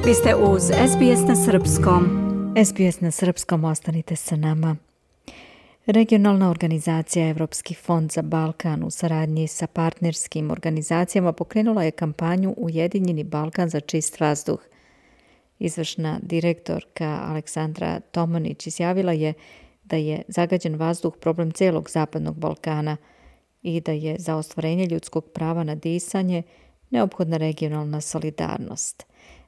Vi ste uz SBS na Srpskom. SBS na Srpskom, ostanite sa nama. Regionalna organizacija Evropski fond za Balkan u saradnji sa partnerskim organizacijama pokrenula je kampanju Ujedinjeni Balkan za čist vazduh. Izvršna direktorka Aleksandra Tomanić izjavila je da je zagađen vazduh problem celog Zapadnog Balkana i da je za ostvarenje ljudskog prava na disanje neophodna regionalna solidarnost.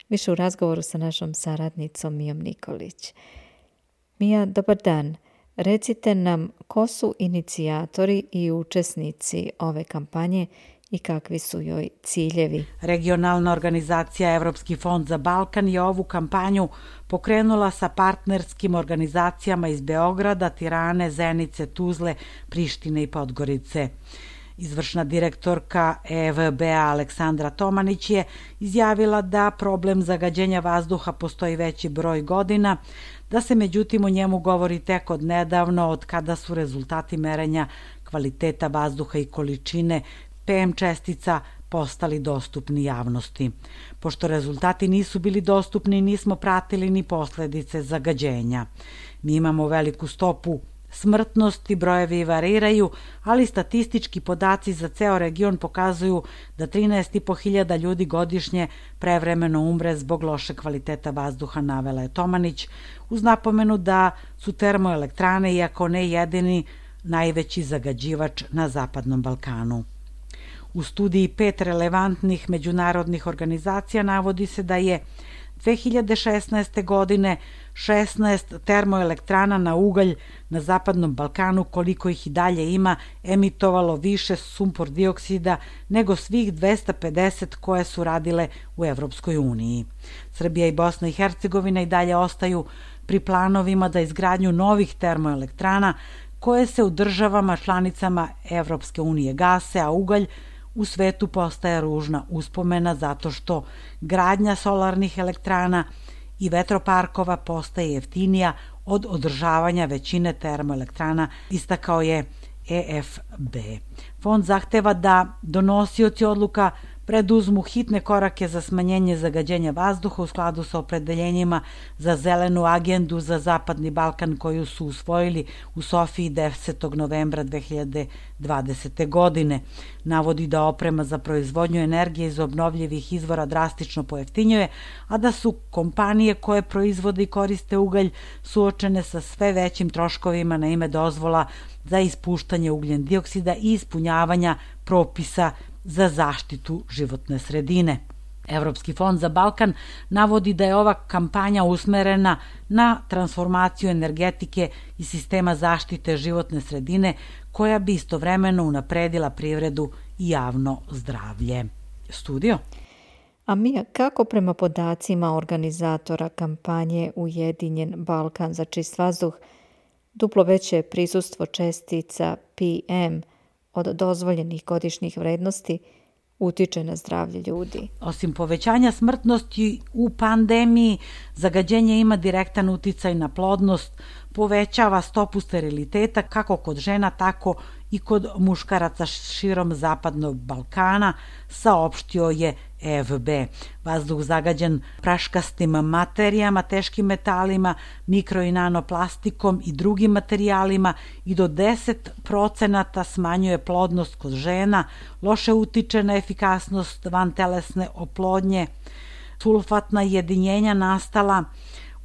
Više u razgovoru sa našom saradnicom Mijom Nikolić. Mija, dobar dan. Recite nam ko su inicijatori i učesnici ove kampanje i kakvi su joj ciljevi. Regionalna organizacija Evropski fond za Balkan je ovu kampanju pokrenula sa partnerskim organizacijama iz Beograda, Tirane, Zenice, Tuzle, Prištine i Podgorice. Izvršna direktorka EFB-a Aleksandra Tomanić je izjavila da problem zagađenja vazduha postoji veći broj godina, da se međutim o njemu govori tek od nedavno, od kada su rezultati merenja kvaliteta vazduha i količine PM čestica postali dostupni javnosti. Pošto rezultati nisu bili dostupni, nismo pratili ni posledice zagađenja. Mi imamo veliku stopu smrtnosti, brojevi variraju, ali statistički podaci za ceo region pokazuju da 13.500 ljudi godišnje prevremeno umre zbog loše kvaliteta vazduha, navela je Tomanić, uz napomenu da su termoelektrane, iako ne jedini, najveći zagađivač na Zapadnom Balkanu. U studiji 5 relevantnih međunarodnih organizacija navodi se da je 2016. godine 16 termoelektrana na ugalj na Zapadnom Balkanu, koliko ih i dalje ima, emitovalo više sumpor dioksida nego svih 250 koje su radile u Evropskoj uniji. Srbija i Bosna i Hercegovina i dalje ostaju pri planovima da izgradnju novih termoelektrana koje se u državama članicama Evropske unije gase, a ugalj u svetu postaje ružna uspomena zato što gradnja solarnih elektrana i vetroparkova postaje jeftinija od održavanja većine termoelektrana, istakao je EFB. Fond zahteva da donosioci odluka preduzmu hitne korake za smanjenje zagađenja vazduha u skladu sa opredeljenjima za zelenu agendu za Zapadni Balkan koju su usvojili u Sofiji 10. novembra 2020. godine. Navodi da oprema za proizvodnju energije iz obnovljivih izvora drastično pojeftinjuje, a da su kompanije koje proizvode i koriste ugalj suočene sa sve većim troškovima na ime dozvola za ispuštanje ugljen dioksida i ispunjavanja propisa za zaštitu životne sredine. Evropski fond za Balkan navodi da je ova kampanja usmerena na transformaciju energetike i sistema zaštite životne sredine koja bi istovremeno unapredila privredu i javno zdravlje. Studio? A Mija, kako prema podacima organizatora kampanje Ujedinjen Balkan za čist vazduh, duplo veće prisustvo čestica PM od dozvoljenih godišnjih vrednosti utiče na zdravlje ljudi? Osim povećanja smrtnosti u pandemiji, zagađenje ima direktan uticaj na plodnost, povećava stopu steriliteta kako kod žena, tako i kod muškaraca širom Zapadnog Balkana, saopštio je EFB. Vazduh zagađen praškastim materijama, teškim metalima, mikro i nanoplastikom i drugim materijalima i do 10% smanjuje plodnost kod žena, loše utiče na efikasnost vantelesne oplodnje, sulfatna jedinjenja nastala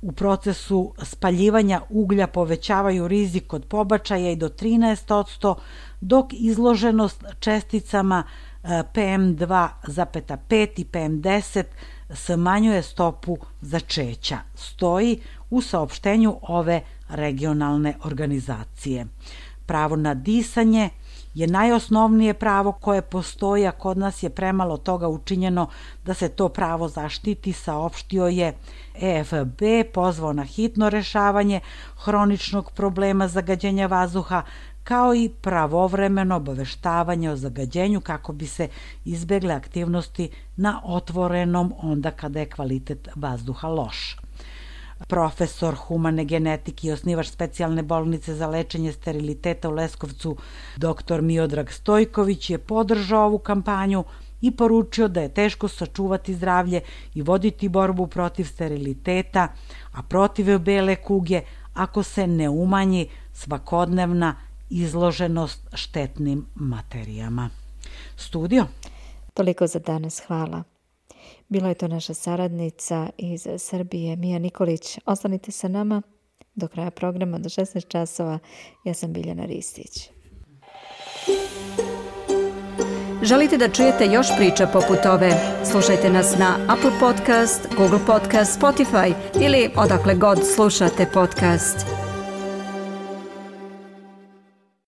u procesu spaljivanja uglja povećavaju rizik od pobačaja i do 13%, dok izloženost česticama PM2,5 i PM10 smanjuje stopu začeća, stoji u saopštenju ove regionalne organizacije. Pravo na disanje je najosnovnije pravo koje postoji, a kod nas je premalo toga učinjeno da se to pravo zaštiti, saopštio je EFB, pozvao na hitno rešavanje hroničnog problema zagađenja vazduha, kao i pravovremeno obaveštavanje o zagađenju kako bi se izbegle aktivnosti na otvorenom onda kada je kvalitet vazduha loš. Profesor humane genetike i osnivač specijalne bolnice za lečenje steriliteta u Leskovcu, dr. Miodrag Stojković je podržao ovu kampanju i poručio da je teško sačuvati zdravlje i voditi borbu protiv steriliteta, a protiv bele kuge ako se ne umanji svakodnevna izloženost štetnim materijama. Studio. Toliko za danas, hvala. Bila je to naša saradnica iz Srbije, Mija Nikolić. Ostanite sa nama do kraja programa, do 16 časova. Ja sam Biljana Ristić. Želite da čujete još priča poput ove? Slušajte nas na Apple Podcast, Google Podcast, Spotify ili odakle god slušate podcast.